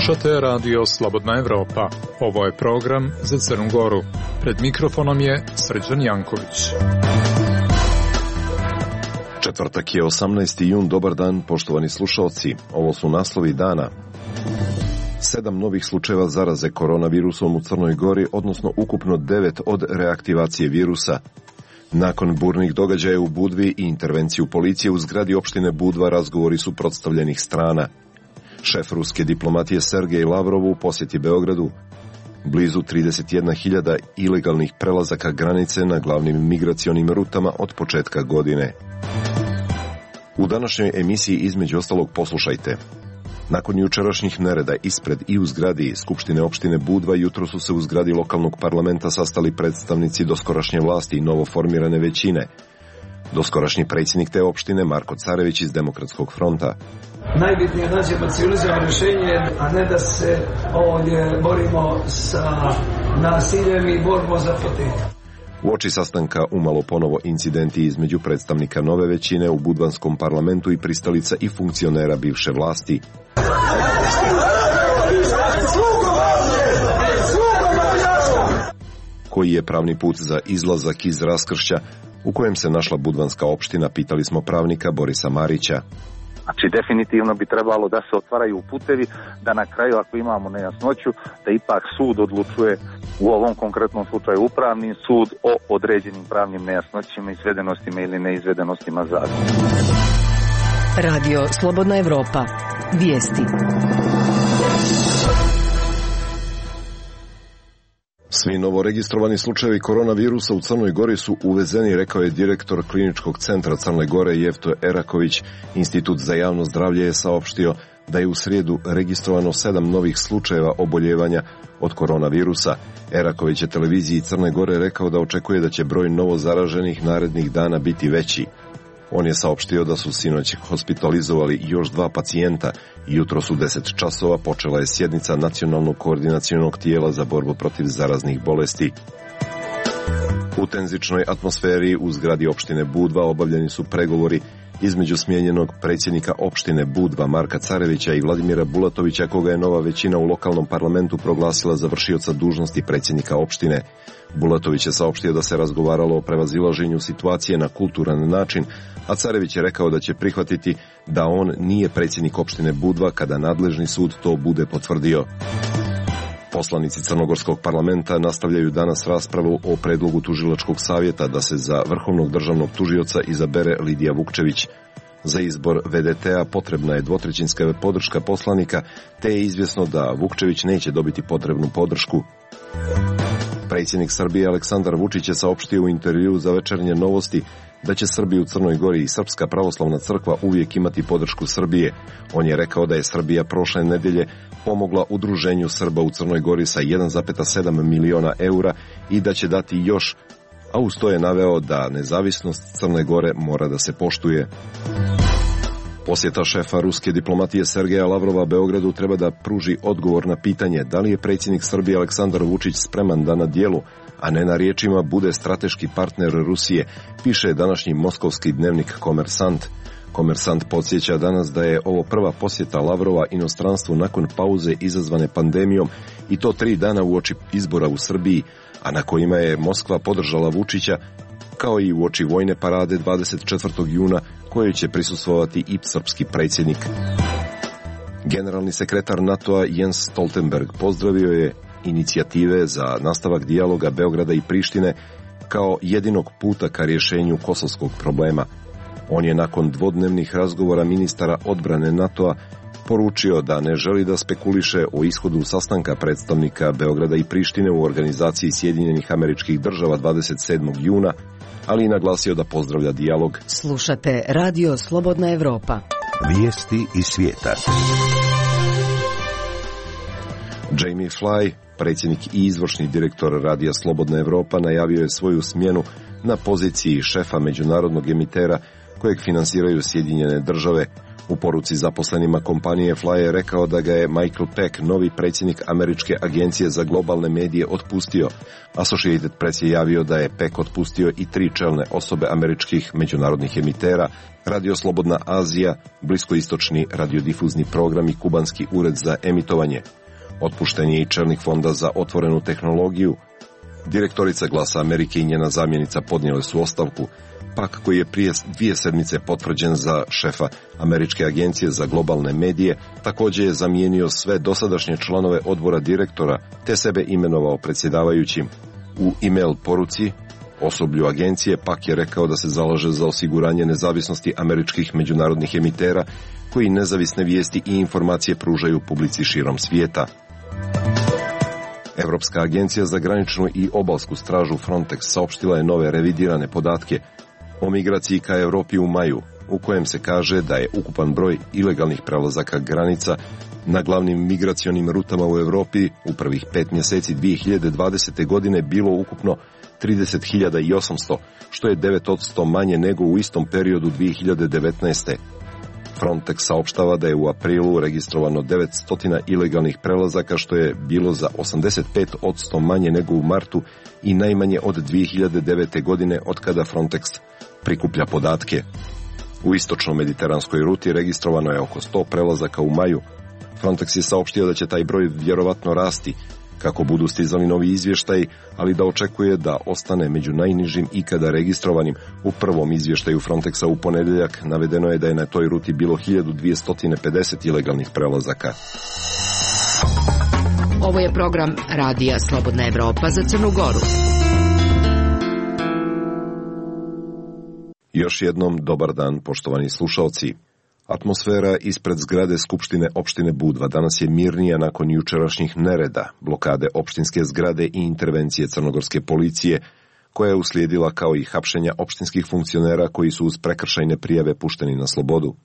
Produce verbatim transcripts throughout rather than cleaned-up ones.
Slušate radio Slobodna Evropa. Ovo je program za Crnu Goru. Pred mikrofonom je Srđan Janković. Četvrtak je osamnaesti jun, dobar dan poštovani slušalci. Ovo su naslovi dana. Sedam novih slučajeva zaraze koronavirusom u Crnoj Gori, odnosno ukupno devet od reaktivacije virusa. Nakon burnih događaja u Budvi i intervenciju policije u zgradi opštine Budva, razgovori suprotstavljenih strana. Šef ruske diplomatije Sergej Lavrov u posjeti Beogradu. Blizu trideset jedna hiljada ilegalnih prelazaka granice na glavnim migracionim rutama od početka godine. U današnjoj emisiji između ostalog poslušajte. Nakon jučerašnjih nereda ispred i u zgradi Skupštine opštine Budva, jutro su se u zgradi lokalnog parlamenta sastali predstavnici doskorašnje vlasti i novoformirane većine. Doskorašnji predsjednik te opštine Marko Carević iz Demokratskog fronta. Najbitnije je naći civilizovano rješenje, a ne da se ovdje borimo sa nasiljem i borbom za fotelju. Uoči sastanka umalo ponovo incidenti između predstavnika nove većine u budvanskom parlamentu i pristalica i funkcionera bivše vlasti. Koji je pravni put za izlazak iz raskršća u kojem se našla budvanska opština, pitali smo pravnika Borisa Marića. Znači, definitivno bi trebalo da se otvaraju putevi, da na kraju, ako imamo nejasnoću, da ipak sud odlučuje, u ovom konkretnom slučaju upravni sud, o određenim pravnim nejasnoćima, izvedenostima ili neizvedenostima zakona. Radio Slobodna Evropa. Vijesti. Svi novoregistrovani slučajevi koronavirusa u Crnoj Gori su uvezeni, rekao je direktor Kliničkog centra Crne Gore Jefto Eraković. Institut za javno zdravlje je saopštio da je u srijedu registrovano sedam novih slučajeva oboljevanja od koronavirusa. Eraković je televiziji Crne Gore rekao da očekuje da će broj novo zaraženih narednih dana biti veći. On je saopštio da su sinoć hospitalizovali još dva pacijenta i jutro su deset časova počela je sjednica Nacionalnog koordinacionog tijela za borbu protiv zaraznih bolesti. U tenzičnoj atmosferi u zgradi opštine Budva obavljeni su pregovori između smijenjenog predsjednika opštine Budva Marka Carevića i Vladimira Bulatovića, koga je nova većina u lokalnom parlamentu proglasila za vršioca dužnosti predsjednika opštine. Bulatović je saopštio da se razgovaralo o prevazilaženju situacije na kulturan način, a Carević je rekao da će prihvatiti da on nije predsjednik opštine Budva kada nadležni sud to bude potvrdio. Poslanici Crnogorskog parlamenta nastavljaju danas raspravu o predlogu tužilačkog savjeta da se za vrhovnog državnog tužioca izabere Lidija Vukčević. Za izbor ve de te-a potrebna je dvotrećinska podrška poslanika, te je izvjesno da Vukčević neće dobiti potrebnu podršku. Predsjednik Srbije Aleksandar Vučić je saopštio u intervjuu za Večernje novosti da će Srbi u Crnoj Gori i Srpska pravoslavna crkva uvijek imati podršku Srbije. On je rekao da je Srbija prošle nedelje pomogla udruženju Srba u Crnoj Gori sa jedan zarez sedam miliona eura i da će dati još, a uz to je naveo da nezavisnost Crne Gore mora da se poštuje. Posjeta šefa ruske diplomatije Sergeja Lavrova Beogradu treba da pruži odgovor na pitanje da li je predsjednik Srbije Aleksandar Vučić spreman da na dijelu, a ne na riječima, bude strateški partner Rusije, piše današnji moskovski dnevnik Komersant. Komersant podsjeća danas da je ovo prva posjeta Lavrova inostranstvu nakon pauze izazvane pandemijom i to tri dana uoči izbora u Srbiji, a na kojima je Moskva podržala Vučića, kao i uoči vojne parade dvadeset četvrtog juna kojoj će prisustvovati i srpski predsjednik. Generalni sekretar NATO-a Jens Stoltenberg pozdravio je inicijative za nastavak dijaloga Beograda i Prištine kao jedinog puta ka rješenju kosovskog problema. On je nakon dvodnevnih razgovora ministara odbrane NATO-a poručio da ne želi da spekuliše o ishodu sastanka predstavnika Beograda i Prištine u organizaciji Sjedinjenih Američkih Država dvadeset sedmog juna, ali i naglasio da pozdravlja dijalog. Slušate Radio Slobodna Evropa. Vijesti iz svijeta. Jamie Fly, predsjednik i izvršni direktor Radija Slobodna Evropa, najavio je svoju smjenu na poziciji šefa međunarodnog emitera kojeg finansiraju Sjedinjene Države. U poruci zaposlenima kompanije Fly je rekao da ga je Michael Peck, novi predsjednik Američke agencije za globalne medije, otpustio. Associated Press je javio da je Peck otpustio i tri čelne osobe američkih međunarodnih emitera, Radio Slobodna Azija, bliskoistočni radiodifuzni program i kubanski ured za emitovanje. Otpušten je i čelnik Fonda za otvorenu tehnologiju. Direktorica Glasa Amerike i njena zamjenica podnijele su ostavku. Pak, koji je prije dvije sedmice potvrđen za šefa Američke agencije za globalne medije, također je zamijenio sve dosadašnje članove odbora direktora, te sebe imenovao predsjedavajućim. U e-mail poruci osoblju agencije Pak je rekao da se zalaže za osiguranje nezavisnosti američkih međunarodnih emitera, koji nezavisne vijesti i informacije pružaju publici širom svijeta. Europska agencija za graničnu i obalsku stražu Frontex saopštila je nove revidirane podatke o migraciji ka Europi u maju, u kojem se kaže da je ukupan broj ilegalnih prelazaka granica na glavnim migracionim rutama u Europi u prvih pet mjeseci dvije hiljade dvadesete. godine bilo ukupno trideset hiljada osamsto, što je devet posto manje nego u istom periodu dvije hiljade devetnaeste. Frontex saopštava da je u aprilu registrovano devetsto ilegalnih prelazaka, što je bilo za osamdeset pet posto manje nego u martu i najmanje od dvije hiljade devete. godine od kada Frontex prikuplja podatke. U istočno-mediteranskoj ruti registrovano je oko sto prelazaka u maju. Frontex je saopštio da će taj broj vjerovatno rasti kako budu stizali novi izvještaji, ali da očekuje da ostane među najnižim ikada registrovanim. U prvom izvještaju Frontexa u ponedjeljak navedeno je da je na toj ruti bilo hiljadu dvjesto pedeset ilegalnih prelazaka. Ovo je program Radija Slobodna Evropa za Crnu Goru. Još jednom dobar dan, poštovani slušalci. Atmosfera ispred zgrade Skupštine opštine Budva danas je mirnija nakon jučerašnjih nereda, blokade opštinske zgrade i intervencije crnogorske policije, koja je uslijedila kao i hapšenja opštinskih funkcionera koji su uz prekršajne prijave pušteni na slobodu.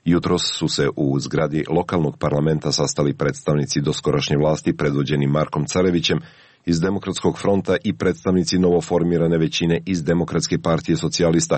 Jutros su se u zgradi lokalnog parlamenta sastali predstavnici doskorašnje vlasti predvođeni Markom Carevićem iz Demokratskog fronta i predstavnici novoformirane većine iz Demokratske partije socijalista,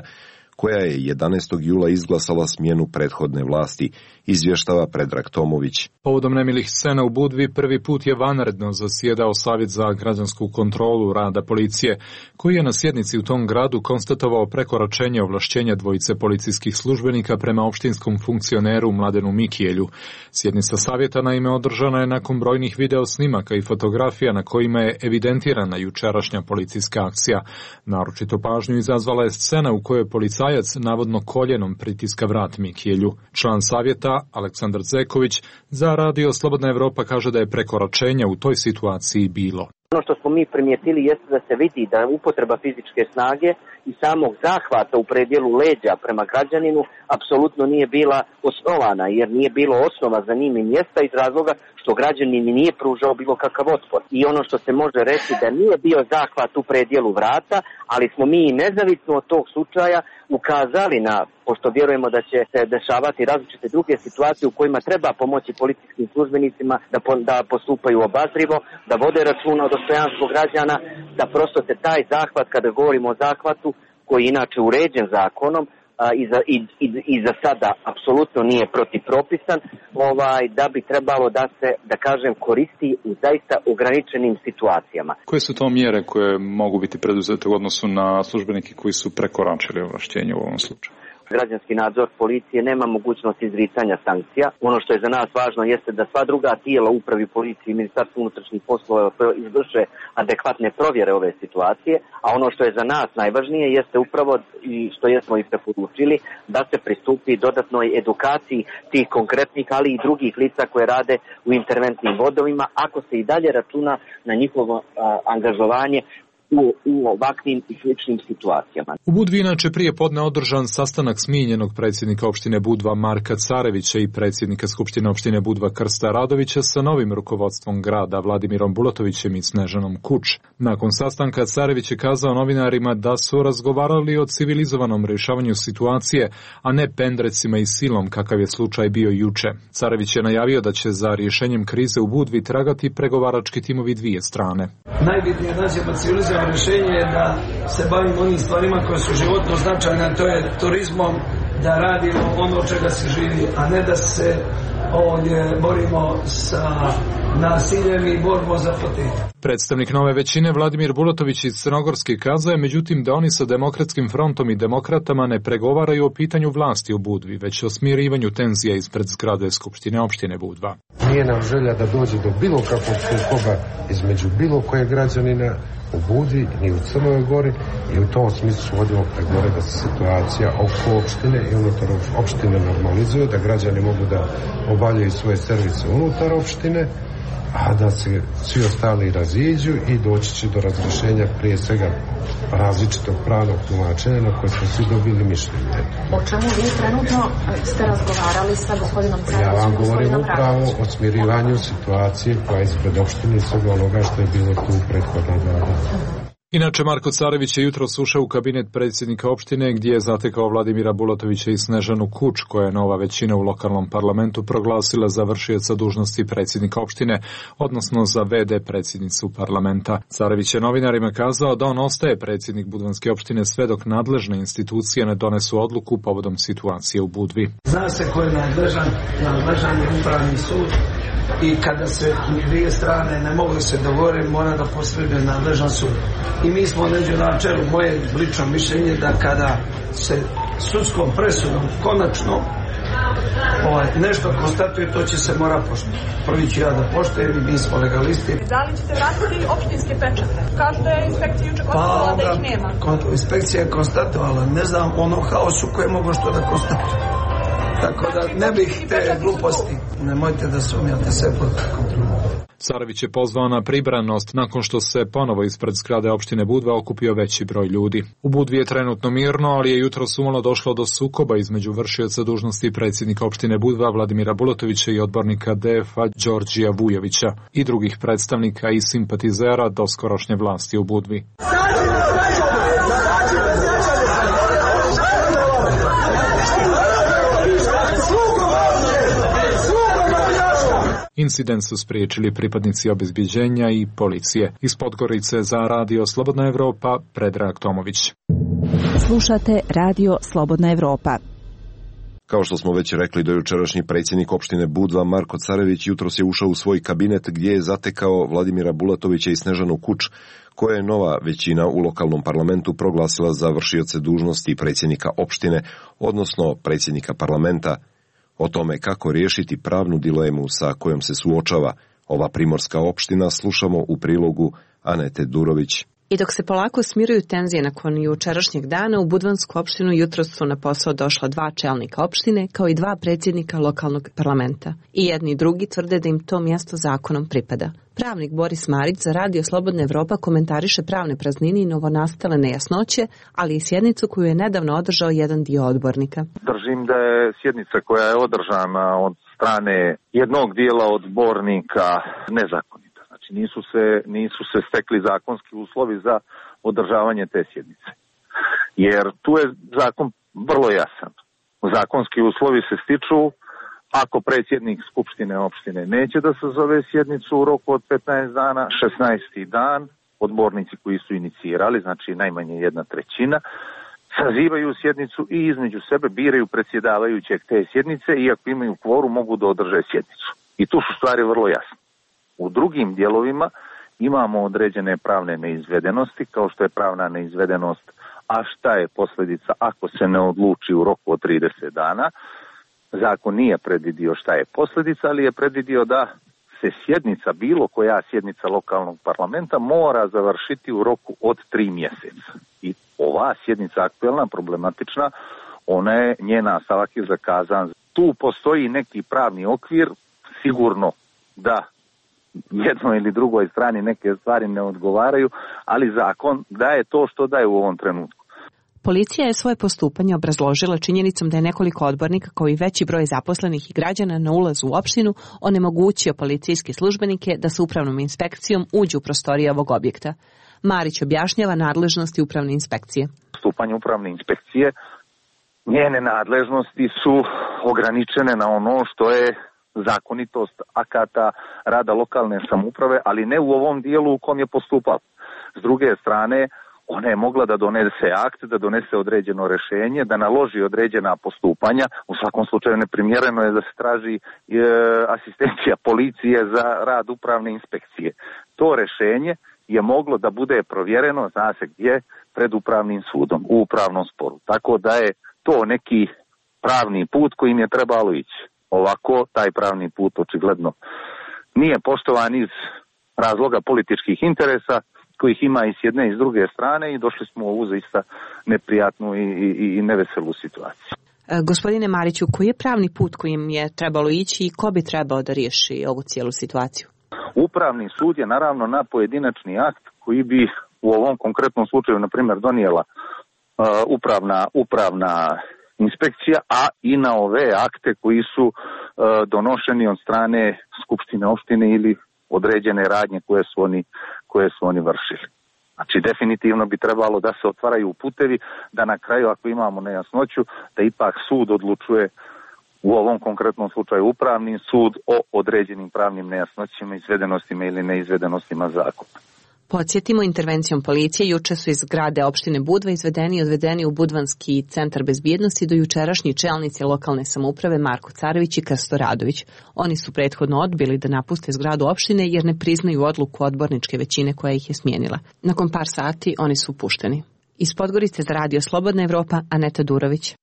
koja je jedanaestog jula izglasala smjenu prethodne vlasti, izvještava Predrag Tomović. Povodom nemilih scena u Budvi prvi put je vanredno zasjedao Savjet za građansku kontrolu rada policije, koji je na sjednici u tom gradu konstatovao prekoračenje ovlašćenja dvojice policijskih službenika prema opštinskom funkcioneru Mladenu Mikijelju. Sjednica savjeta naime održana je nakon brojnih video snimaka i fotografija na kojima je evidentirana jučerašnja policijska akcija. Naročito pažnju izazvala je scena u kojoj policajac navodno koljenom pritiska vrat Mikijelju. Član savjeta Aleksandar Zeković za Radio Slobodna Evropa kaže da je prekoračenja u toj situaciji bilo. Ono što smo mi primijetili jeste da se vidi da upotreba fizičke snage i samog zahvata u predjelu leđa prema građaninu apsolutno nije bila osnovana, jer nije bilo osnova za njim i mjesta iz razloga što građanin nije pružao bilo kakav otpor. I ono što se može reći da nije bio zahvat u predjelu vrata, ali smo mi nezavisno od tog slučaja ukazali na, pošto vjerujemo da će se dešavati različite druge situacije u kojima treba pomoći policijskim službenicima da, po, da postupaju obazrivo, da vode računa o dostojanstvu građana, da prosto se taj zahvat, kada govorimo o zahvatu, koji je inače uređen zakonom, a, i, za, i, i, i za sada apsolutno nije protipropisan, ovaj, da bi trebalo da se, da kažem, koristi u zaista ograničenim situacijama. Koje su to mjere koje mogu biti preduzete u odnosu na službenike koji su prekoračili ovlašćenje u ovom slučaju? Građanski nadzor policije nema mogućnost izricanja sankcija. Ono što je za nas važno jeste da sva druga tijela upravi policije i Ministarstvo unutrašnjih poslova izvrše adekvatne provjere ove situacije, a ono što je za nas najvažnije jeste upravo i što jesmo i preporučili da se pristupi dodatnoj edukaciji tih konkretnih, ali i drugih lica koje rade u interventnim vodovima, ako se i dalje računa na njihovo a, angažovanje U, u ovakvim i sličnim situacijama. U Budvi inače prije podne održan sastanak smijenjenog predsjednika opštine Budva Marka Carevića i predsjednika Skupštine opštine Budva Krsta Radovića sa novim rukovodstvom grada Vladimirom Bulatovićem i Snežanom Kuč. Nakon sastanka Carević je kazao novinarima da su razgovarali o civilizovanom rješavanju situacije, a ne pendrecima i silom kakav je slučaj bio juče. Carević je najavio da će za rješenjem krize u Budvi tragati pregovarački timovi dvije strane. Najbitnije nađemo civilizovano rješenje je da se bavimo onim stvarima koje su životno značajne, to je turizmom, da radimo ono čega se živi, a ne da se ovdje borimo sa nasiljem i borbom za fotelju. Predstavnik nove većine Vladimir Bulatović iz Crnogorske kazao je međutim da oni sa Demokratskim frontom i demokratama ne pregovaraju o pitanju vlasti u Budvi, već o smirivanju tenzija ispred zgrade Skupštine opštine Budva. Nije nam želja da dođe do bilo kakvog sukoba između bilo koje građanina u Budvi ni u Crnoj Gori i u tom smislu vodimo pregovore da se situacija oko opštine i unutar opštine normalizuje, da građani mogu da obavljaju svoje servise unutar opštine, a da se svi ostali raziđu i doći će do razrješenja prije svega različitog pravnog tumačenja na koje smo svi dobili mišljenje. O čemu vi trenutno ste razgovarali sa gospodinom Carevićem? Ja vam govorim upravo o smirivanju situacije koja je ispred opštine i svega onoga što je bilo tu prethodna dva dana. Inače, Marko Carević je jutros ušao u kabinet predsjednika opštine gdje je zatekao Vladimira Bulatovića i Snežanu Kuč, koja je nova većina u lokalnom parlamentu proglasila za vršioca dužnosti predsjednika opštine, odnosno za ve de predsjednicu parlamenta. Carević je novinarima kazao da on ostaje predsjednik Budvanske opštine sve dok nadležne institucije ne donesu odluku povodom situacije u Budvi. Zna se ko je nadležan, nadležan je upravni sud i kada se dvije strane ne mogu se dogovoriti, mora da posreduje nadležan sud. I mi smo neđe na čelu, moje lično mišljenje da kada se sudskom presudom konačno ovaj, nešto konstatuje, to će se mora poštovati. Prvi ću ja da poštujem i mi smo legalisti. Da li ćete vratiti opštinske pečate? Kažu da je inspekcija juče konstatovala da ih nema. Kon, inspekcija je konstatovala, ne znam, ono haosu koje mogu što da konstatuje. Tako da ne bih te gluposti, nemojte da sumnjate sve pod kontrolom. Carević je pozvao na pribranost nakon što se ponovo ispred zgrade opštine Budva okupio veći broj ljudi. U Budvi je trenutno mirno, ali je jutros umalo došlo do sukoba između vršioca dužnosti predsjednika opštine Budva Vladimira Bulatovića i odbornika de ef a Đorđija Vujovića i drugih predstavnika i simpatizera doskorošnje vlasti u Budvi. Incident su spriječili pripadnici obezbeđenja i policije. Iz Podgorice za Radio Slobodna Evropa, Predrag Tomović. Slušate Radio Slobodna Evropa. Kao što smo već rekli, dojučerašnji predsjednik opštine Budva Marko Carević jutros je ušao u svoj kabinet gdje je zatekao Vladimira Bulatovića i Snežanu Kuč, koja je nova većina u lokalnom parlamentu proglasila za vršioce dužnosti predsjednika opštine, odnosno predsjednika parlamenta. O tome kako riješiti pravnu dilemu sa kojom se suočava ova primorska opština slušamo u prilogu Anete Durović. I dok se polako smiruju tenzije nakon jučerašnjeg dana, u Budvansku opštinu jutros su na posao došla dva čelnika opštine kao i dva predsjednika lokalnog parlamenta. I jedni i drugi tvrde da im to mjesto zakonom pripada. Pravnik Boris Marić za Radio Slobodna Evropa komentariše pravne praznine i novonastale nejasnoće, ali i sjednicu koju je nedavno održao jedan dio odbornika. Držim da je sjednica koja je održana od strane jednog dijela odbornika nezakonita. Znači nisu se, nisu se stekli zakonski uslovi za održavanje te sjednice. Jer tu je zakon vrlo jasan. Zakonski uslovi se stiču ako predsjednik Skupštine opštine neće da sazove sjednicu u roku od petnaest dana, šesnaesti dan, odbornici koji su inicirali, znači najmanje jedna trećina, sazivaju sjednicu i između sebe biraju predsjedavajućeg te sjednice i ako imaju kvorum mogu da održe sjednicu. I tu su stvari vrlo jasne. U drugim dijelovima imamo određene pravne neizvedenosti, kao što je pravna neizvedenost, a šta je posljedica ako se ne odluči u roku od trideset dana. Zakon nije predvidio šta je posljedica, ali je predvidio da se sjednica, bilo koja sjednica lokalnog parlamenta, mora završiti u roku od tri mjeseca. I ova sjednica aktuelna, problematična, ona je, njen nastavak je zakazan. Tu postoji neki pravni okvir, sigurno da jednoj ili drugoj strani neke stvari ne odgovaraju, ali zakon daje to što daje u ovom trenutku. Policija je svoje postupanje obrazložila činjenicom da je nekoliko odbornika kao i veći broj zaposlenih i građana na ulazu u opštinu onemogućio policijske službenike da sa upravnom inspekcijom uđu u prostorije ovog objekta. Marić objašnjava nadležnosti upravne inspekcije. Postupanje upravne inspekcije, njene nadležnosti su ograničene na ono što je zakonitost akata rada lokalne samouprave, ali ne u ovom dijelu u kom je postupao. S druge strane, ona je mogla da donese akt, da donese određeno rješenje, da naloži određena postupanja. U svakom slučaju neprimjereno je da se traži e, asistencija policije za rad upravne inspekcije. To rješenje je moglo da bude provjereno, zna se gdje, pred upravnim sudom, u upravnom sporu. Tako da je to neki pravni put kojim je trebalo ići. Ovako, taj pravni put očigledno nije poštovan iz razloga političkih interesa, kojih ima i s jedne i s druge strane, i došli smo u ovu zaista neprijatnu i, i, i neveselu situaciju. E, gospodine Mariću, koji je pravni put kojim je trebalo ići i ko bi trebao da riješi ovu cijelu situaciju? Upravni sud je naravno na pojedinačni akt koji bi u ovom konkretnom slučaju, na primjer, donijela uh, upravna, upravna inspekcija, a i na ove akte koji su uh, donošeni od strane skupštine opštine ili određene radnje koje su oni, koje su oni vršili. Znači, definitivno bi trebalo da se otvaraju putevi, da na kraju, ako imamo nejasnoću, da ipak sud odlučuje, u ovom konkretnom slučaju upravni sud, o određenim pravnim nejasnoćima, izvedenostima ili neizvedenostima zakona. Podsjetimo, intervencijom policije juče su iz zgrade opštine Budva izvedeni i odvedeni u Budvanski centar bezbjednosti do jučerašnji čelnici lokalne samouprave Marko Carević i Krsto Radović. Oni su prethodno odbili da napuste zgradu opštine jer ne priznaju odluku odborničke većine koja ih je smijenila. Nakon par sati oni su pušteni. Iz Podgorice za Radio Slobodna Evropa, Aneta Durović.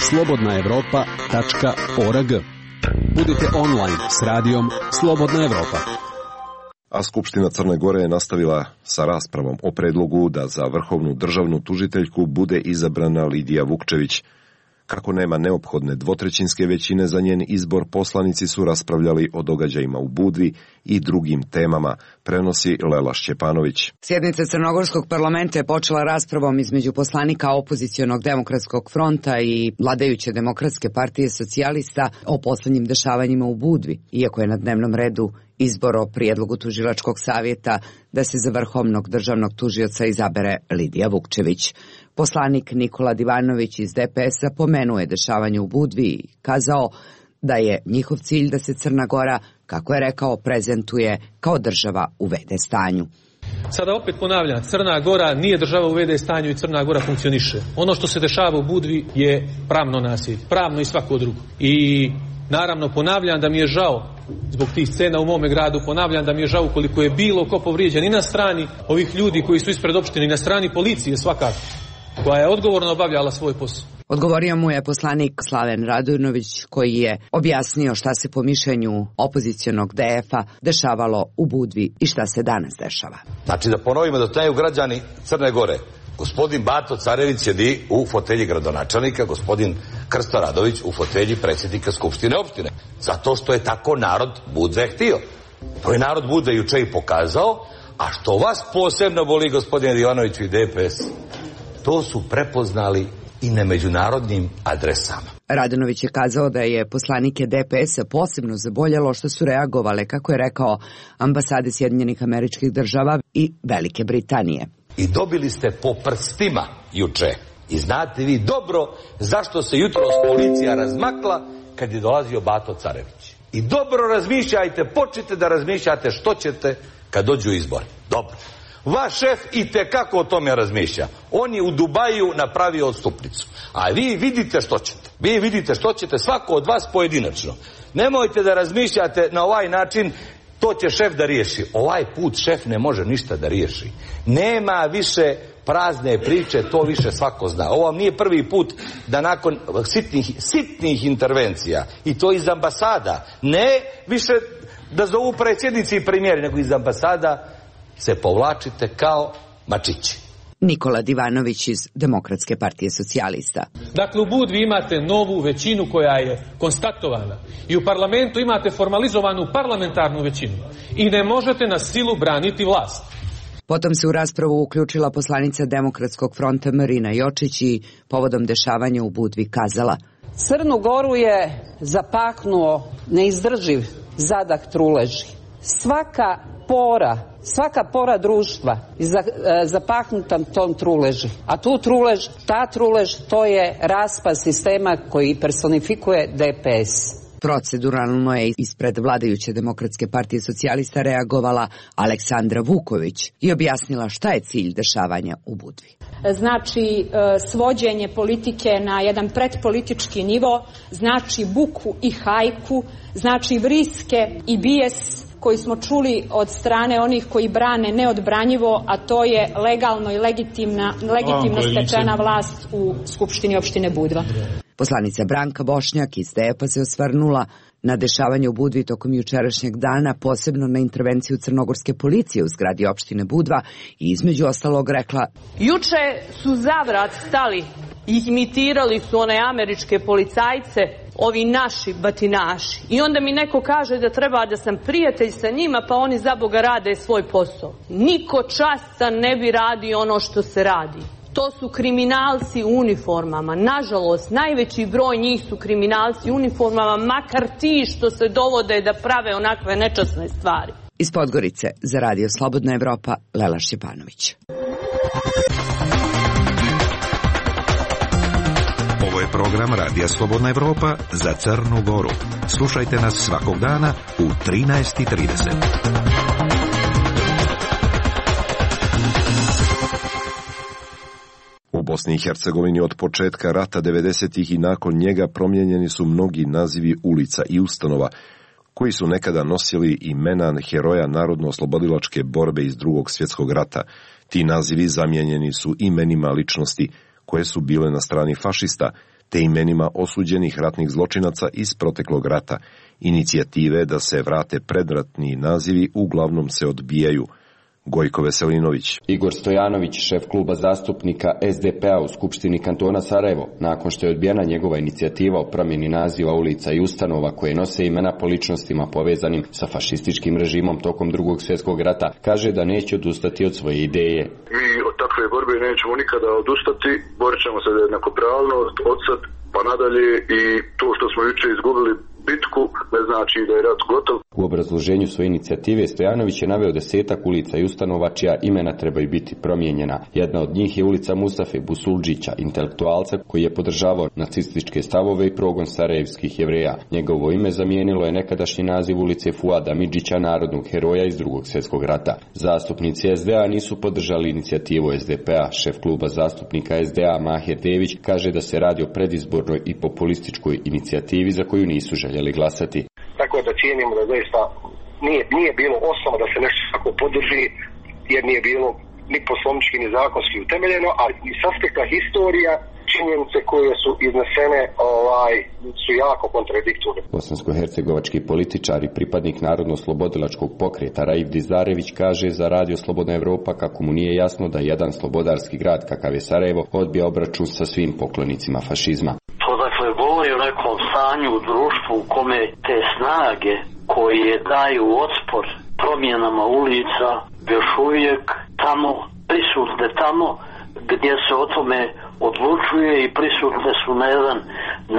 slobodna evropa tačka org. Budite online s radijom Slobodna Evropa. A Skupština Crne Gore je nastavila sa raspravom o predlogu da za vrhovnu državnu tužiteljku bude izabrana Lidija Vukčević. Kako nema neophodne dvotrećinske većine za njen izbor, poslanici su raspravljali o događajima u Budvi i drugim temama, prenosi Lela Šćepanović. Sjednica Crnogorskog parlamenta je počela raspravom između poslanika opozicionog demokratskog fronta i vladajuće demokratske partije socijalista o poslednjim dešavanjima u Budvi, iako je na dnevnom redu izbor o prijedlogu tužilačkog savjeta da se za vrhovnog državnog tužioca izabere Lidija Vukčević. Poslanik Nikola Divanović iz D P S-a pomenuje dešavanje u Budvi i kazao da je njihov cilj da se Crna Gora, kako je rekao, prezentuje kao država u ve de stanju. Sada opet ponavljam, Crna Gora nije država u ve de stanju i Crna Gora funkcioniše. Ono što se dešava u Budvi je pravno nasilje, pravno i svako drugo. I naravno ponavljam da mi je žao zbog tih scena u mome gradu, ponavljam da mi je žao koliko je bilo ko povrijeđen i na strani ovih ljudi koji su ispred opštine i na strani policije svakako, koja je odgovorno obavljala svoj posao. Odgovorio mu je poslanik Slaven Radujnović, koji je objasnio šta se po mišljenju opozicionog D F-a dešavalo u Budvi i šta se danas dešava. Znači da ponovimo da znaju građani Crne Gore. Gospodin Bato Carević sjedi u fotelji gradonačelnika, gospodin Krsto Radović u fotelji predsjednika Skupštine opštine. Zato što je tako narod Budve htio. To je narod Budve juče i pokazao, a što vas posebno boli, gospodine Divanoviću i D P S, to su prepoznali i na međunarodnim adresama. Radanović je kazao da je poslanike D P S-a posebno zaboljelo što su reagovale, kako je rekao, ambasade Sjedinjenih Američkih Država i Velike Britanije. I dobili ste po prstima juče. I znate vi dobro zašto se jutros policija razmakla kad je dolazio Bato Carević. I dobro razmišljajte, počnite da razmišljate što ćete kad dođu izbori. Dobro. Vaš šef i tekako o tome razmišlja. On je u Dubaju napravio odstupnicu. A vi vidite što ćete. Vi vidite što ćete, svako od vas pojedinačno. Nemojte da razmišljate na ovaj način, to će šef da riješi. Ovaj put šef ne može ništa da riješi. Nema više prazne priče, to više svako zna. Ovo vam nije prvi put da nakon sitnih, sitnih intervencija, i to iz ambasada, ne više da zovu predsjednici i premijeri, nego iz ambasada se povlačite kao mačići. Nikola Divanović iz Demokratske partije socijalista. Dakle, u Budvi imate novu većinu koja je konstatovana i u parlamentu imate formalizovanu parlamentarnu većinu i ne možete na silu braniti vlast. Potom se u raspravu uključila poslanica Demokratskog fronta Marina Jočić i povodom dešavanja u Budvi kazala: Crnu Goru je zapaknuo neizdrživ zadah truleži. Svaka pora, svaka pora društva je zapahnuta tom truleži. A tu trulež, ta trulež, to je raspad sistema koji personifikuje D P S. Proceduralno je ispred vladajuće Demokratske partije socijalista reagovala Aleksandra Vuković i objasnila šta je cilj dešavanja u Budvi. Znači svođenje politike na jedan pretpolitički nivo, znači buku i hajku, znači vriske i bijes koji smo čuli od strane onih koji brane neodbranjivo, a to je legalno i legitimna, legitimno stečena vlast u Skupštini opštine Budva. Poslanica Branka Bošnjak iz D E P-a se osvrnula na dešavanje u Budvi tokom jučerašnjeg dana, posebno na intervenciju crnogorske policije u zgradi opštine Budva i između ostalog rekla: Juče su zavrat stali i imitirali su one američke policajce, ovi naši batinaši. I onda mi neko kaže da treba da sam prijatelj sa njima, pa oni za Boga rade svoj posao. Niko častan ne bi radio ono što se radi. To su kriminalci u uniformama. Nažalost, najveći broj njih su kriminalci u uniformama, makar ti što se dovode da prave onakve nečasne stvari. Iz Podgorice za Radio Slobodna Evropa, Lela Šćepanović. Ovo je program Radija Slobodna Evropa za Crnu Goru. Slušajte nas svakog dana u trinaest i trideset. U Bosni i Hercegovini od početka rata devedesetih i nakon njega promijenjeni su mnogi nazivi ulica i ustanova koji su nekada nosili imena heroja narodno-oslobodilačke borbe iz Drugog svjetskog rata. Ti nazivi zamijenjeni su imenima ličnosti koje su bile na strani fašista, te imenima osuđenih ratnih zločinaca iz proteklog rata. Inicijative da se vrate predratni nazivi uglavnom se odbijaju. Gojko Veselinović. Igor Stojanović, šef kluba zastupnika S D P-a u Skupštini kantona Sarajevo, nakon što je odbijena njegova inicijativa o promjeni naziva ulica i ustanova koje nose imena po ličnostima povezanim sa fašističkim režimom tokom Drugog svjetskog rata, kaže da neće odustati od svoje ideje. Mi od takve borbe nećemo nikada odustati, borit ćemo se za jednakopravnost od sad pa nadalje i to što smo juče izgubili bitku ne znači da je rat gotov. U obrazloženju svoje inicijative Stojanović je naveo desetak ulica i ustanova čija imena trebaju biti promijenjena. Jedna od njih je ulica Mustafe Busuldžića, intelektualca koji je podržavao nacističke stavove i progon sarajevskih Jevreja. Njegovo ime zamijenilo je nekadašnji naziv ulice Fuada Midžića, narodnog heroja iz Drugog svjetskog rata. Zastupnici S D A nisu podržali inicijativu S D P-a. Šef kluba zastupnika S D A Mahir Dević kaže da se radi o predizbornoj i populističkoj inicijativi za koju nisu željeli glasati. Tako da cijenimo da zaista nije, nije bilo osnova da se nešto tako podrži, jer nije bilo ni poslovnički ni zakonski utemeljeno, a i s aspekta historija činjenice koje su iznesene ovaj, su jako kontradiktorne. Bosansko-hercegovački političar i pripadnik Narodno-slobodilačkog pokreta Raif Dizarević kaže za Radio Slobodna Evropa kako mu nije jasno da jedan slobodarski grad kakav je Sarajevo odbija obračun sa svim poklonicima fašizma. To dakle govori o nekom stanju u društvu u kome te snage koje daju otpor promjenama ulica još uvijek tamo prisutne tamo gdje se o tome odlučuje i prisutne su na jedan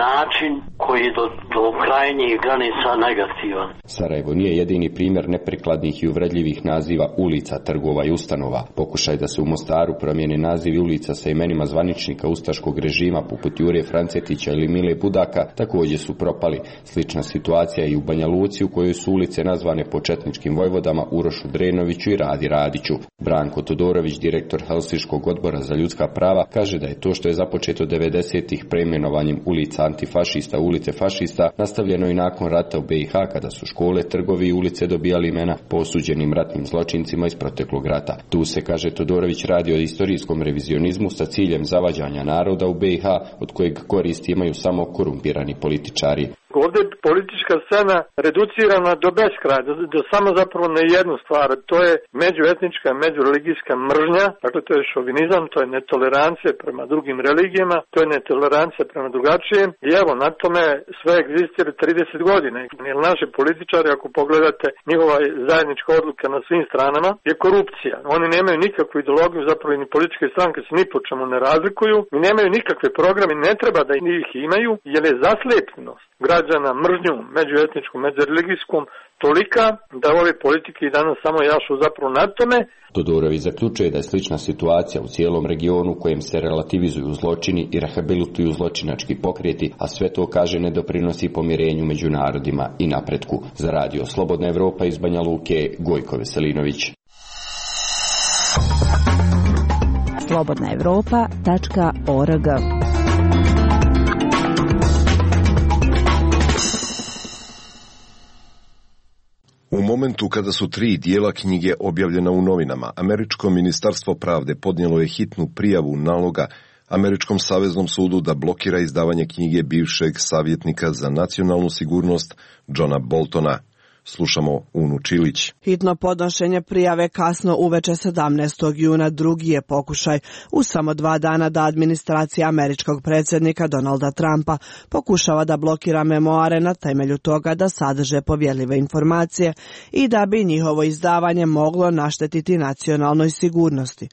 način koji do, do krajnjih granica negativan. Sarajevo nije jedini primjer neprikladnih i uvredljivih naziva ulica, trgova i ustanova. Pokušaj da se u Mostaru promijene nazivi ulica sa imenima zvaničnika ustaškog režima poput Jure Francetića ili Mile Budaka također su propali. Slična situacija i u Banja Luci u kojoj su ulice nazvane po četničkim vojvodama Urošu Drenoviću i Radi Radiću. Branko Todorović, direktor Helsinškog odbora za ljudska prava, kaže da je to što je započeto devedesetih preimenovanjem ulica antifašista u ulice fašista nastavljeno i nakon rata u B i H kada su škole, trgovi i ulice dobijali imena po osuđenim ratnim zločincima iz proteklog rata. Tu se, kaže Todorović, radi o istorijskom revizionizmu sa ciljem zavađanja naroda u B i H od kojeg koristi imaju samo korumpirani političari. Ovdje je politička scena reducirana do beskraja, do, do samo zapravo na jednu stvar, to je međuetnička, međureligijska mržnja, dakle to je šovinizam, to je netolerancija prema drugim religijama, to je netolerancija prema drugačijem i evo na tome sve egzistira trideset godina. Jer naši političari, ako pogledate njihova zajednička odluka na svim stranama, je korupcija. Oni nemaju nikakvu ideologiju, zapravo ni političke stranke se ni po čemu ne razlikuju i nemaju nikakve programe, ne treba da ih imaju jer je zaslijepljenost građana građana, mržnju međuetničkom, međureligijskom, tolika da ove politike i danas samo jašu zapravo na tome. Todorović zaključuje da je slična situacija u cijelom regionu u kojem se relativizuju zločini i rehabilituju zločinački pokreti, a sve to, kaže, ne doprinosi pomirenju među narodima i napretku. Za radio Slobodna Evropa iz Banja Luke, Gojko Veselinović. slobodna evropa tačka org. U momentu kada su tri dijela knjige objavljena u novinama, Američko ministarstvo pravde podnijelo je hitnu prijavu naloga Američkom saveznom sudu da blokira izdavanje knjige bivšeg savjetnika za nacionalnu sigurnost Johna Boltona. Slušamo Unu Čilić. Hitno podnošenje prijave kasno uveče sedamnaestog juna drugi je pokušaj u samo dva dana da administracija američkog predsjednika Donalda Trumpa pokušava da blokira memoare na temelju toga da sadrže povjerljive informacije i da bi njihovo izdavanje moglo naštetiti nacionalnoj sigurnosti.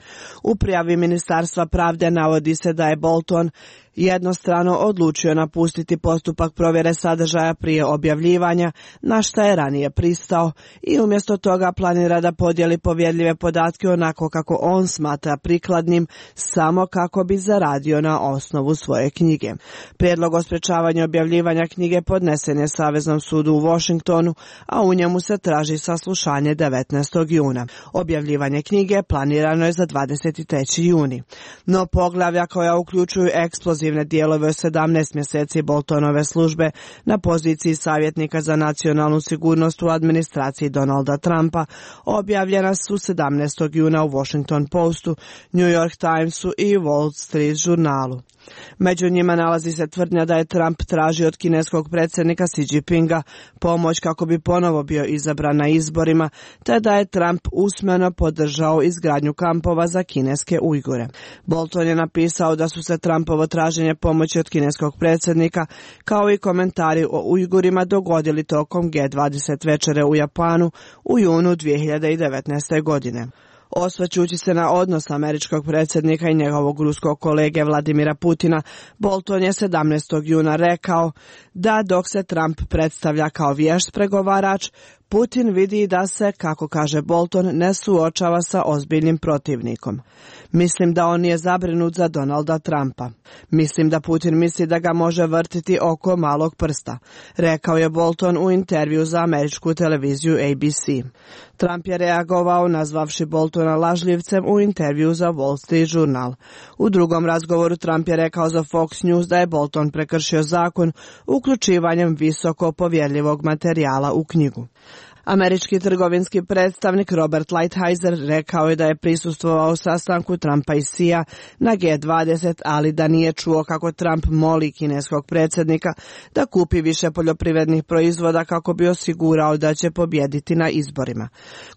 U prijavi Ministarstva pravde navodi se da je Bolton jednostrano odlučio napustiti postupak provjere sadržaja prije objavljivanja, na šta je ranije pristao, i umjesto toga planira da podijeli povjerljive podatke onako kako on smatra prikladnim, samo kako bi zaradio na osnovu svoje knjige. Prijedlog o sprečavanju objavljivanja knjige podnesen je Saveznom sudu u Washingtonu, a u njemu se traži saslušanje devetnaestog juna. Objavljivanje knjige planirano je za dvadeset treći juni. No poglavlja koja uključuju eksplozivne dijelove sedamnaest mjeseci Boltonove službe na poziciji savjetnika za nacionalnu sigurnost u administraciji Donalda Trumpa objavljena su sedamnaestog juna u Washington Postu, New York Timesu i Wall Street žurnalu. Među njima nalazi se tvrdnja da je Trump tražio od kineskog predsjednika Xi Jinpinga pomoć kako bi ponovo bio izabran na izborima, te da je Trump usmeno podržao izgradnju kampova za kineske Ujgure. Bolton je napisao da su se Trumpovo traženje pomoći od kineskog predsjednika kao i komentari o Ujgurima dogodili tokom G dvadeset večere u Japanu u junu dvije hiljade devetnaeste. godine. Osvrćući se na odnos američkog predsjednika i njegovog ruskog kolege Vladimira Putina, Bolton je sedamnaestog juna rekao da dok se Trump predstavlja kao vješt pregovarač, Putin vidi da se, kako kaže Bolton, ne suočava sa ozbiljnim protivnikom. Mislim da on nije zabrinut za Donalda Trumpa. Mislim da Putin misli da ga može vrtiti oko malog prsta, rekao je Bolton u intervju za američku televiziju A B C. Trump je reagovao nazvavši Boltona lažljivcem u intervju za Wall Street žurnal. U drugom razgovoru Trump je rekao za Fox News da je Bolton prekršio zakon uključivanjem visoko povjerljivog materijala u knjigu. Američki trgovinski predstavnik Robert Lighthizer rekao je da je prisustvovao sastanku Trumpa i Xija na G dvadeset, ali da nije čuo kako Trump moli kineskog predsjednika da kupi više poljoprivrednih proizvoda kako bi osigurao da će pobijediti na izborima.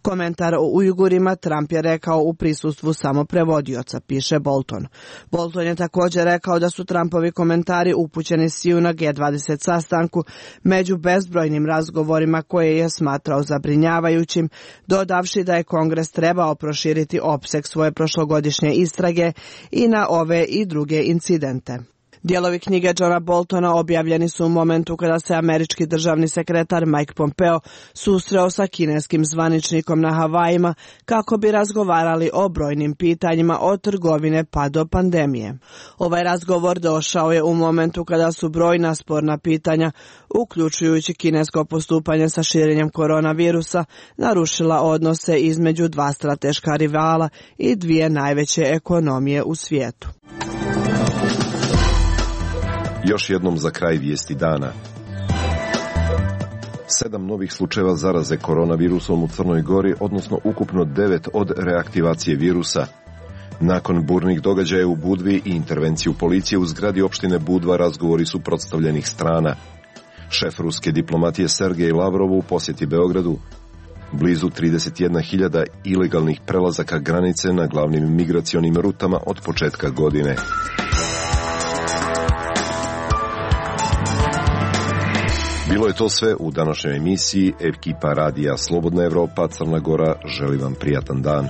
Komentar o Ujgurima Trump je rekao u prisustvu samo prevodioca, piše Bolton. Bolton je također rekao da su Trumpovi komentari upućeni Xiju na G dvadeset sastanku među bezbrojnim razgovorima koje je smatrao zabrinjavajućim, dodavši da je Kongres trebao proširiti opseg svoje prošlogodišnje istrage i na ove i druge incidente. Dijelovi knjige Johna Boltona objavljeni su u momentu kada se američki državni sekretar Mike Pompeo susreo sa kineskim zvaničnikom na Havajima kako bi razgovarali o brojnim pitanjima od trgovine pa do pandemije. Ovaj razgovor došao je u momentu kada su brojna sporna pitanja, uključujući kinesko postupanje sa širenjem koronavirusa, narušila odnose između dva strateška rivala i dvije najveće ekonomije u svijetu. Još jednom za kraj vijesti dana. Sedam novih slučajeva zaraze koronavirusom u Crnoj Gori, odnosno ukupno devet od reaktivacije virusa. Nakon burnih događaja u Budvi i intervenciju policije u zgradi opštine Budva razgovori suprotstavljenih strana. Šef ruske diplomatije Sergej Lavrov u posjeti Beogradu. Blizu trideset jedna hiljada ilegalnih prelazaka granice na glavnim migracionim rutama od početka godine. Bilo je to sve u današnjoj emisiji. Ekipa radija Slobodna Evropa Crna Gora želi vam prijatan dan.